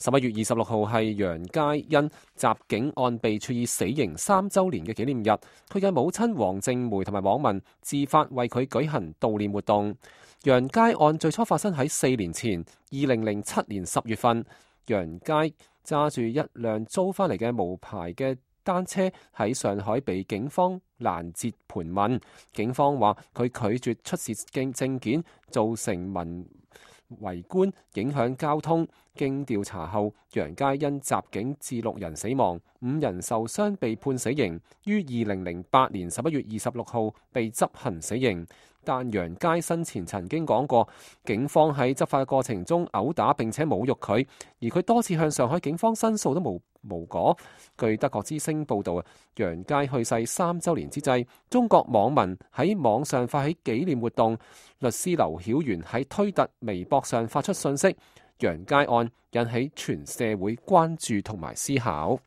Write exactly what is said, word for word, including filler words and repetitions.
十一月二十六號係楊佳欣襲警案被處以死刑三週年嘅紀念日，佢嘅母親黃靜梅同埋網民自發為佢舉行悼念活動。楊佳案最初發生喺四年前，二零零七年十月份，楊佳揸住一輛租翻嚟嘅無牌嘅單車喺上海被警方攔截盤問，警方話佢拒絕出示證證件，造成民圍觀，影響交通。經調查後，楊佳因襲警致六人死亡，五人受傷，被判死刑，於二零零八年十一月二十六號被執行死刑。但楊佳生前曾經講過，警方喺執法過程中毆打並且侮辱佢，而佢多次向上海警方申訴都無無果。據德國之聲報導，楊佳去世三週年之際，中國網民喺網上發起紀念活動，律師劉曉元喺推特、微博上發出信息，楊佳案引起全社會關注同埋思考。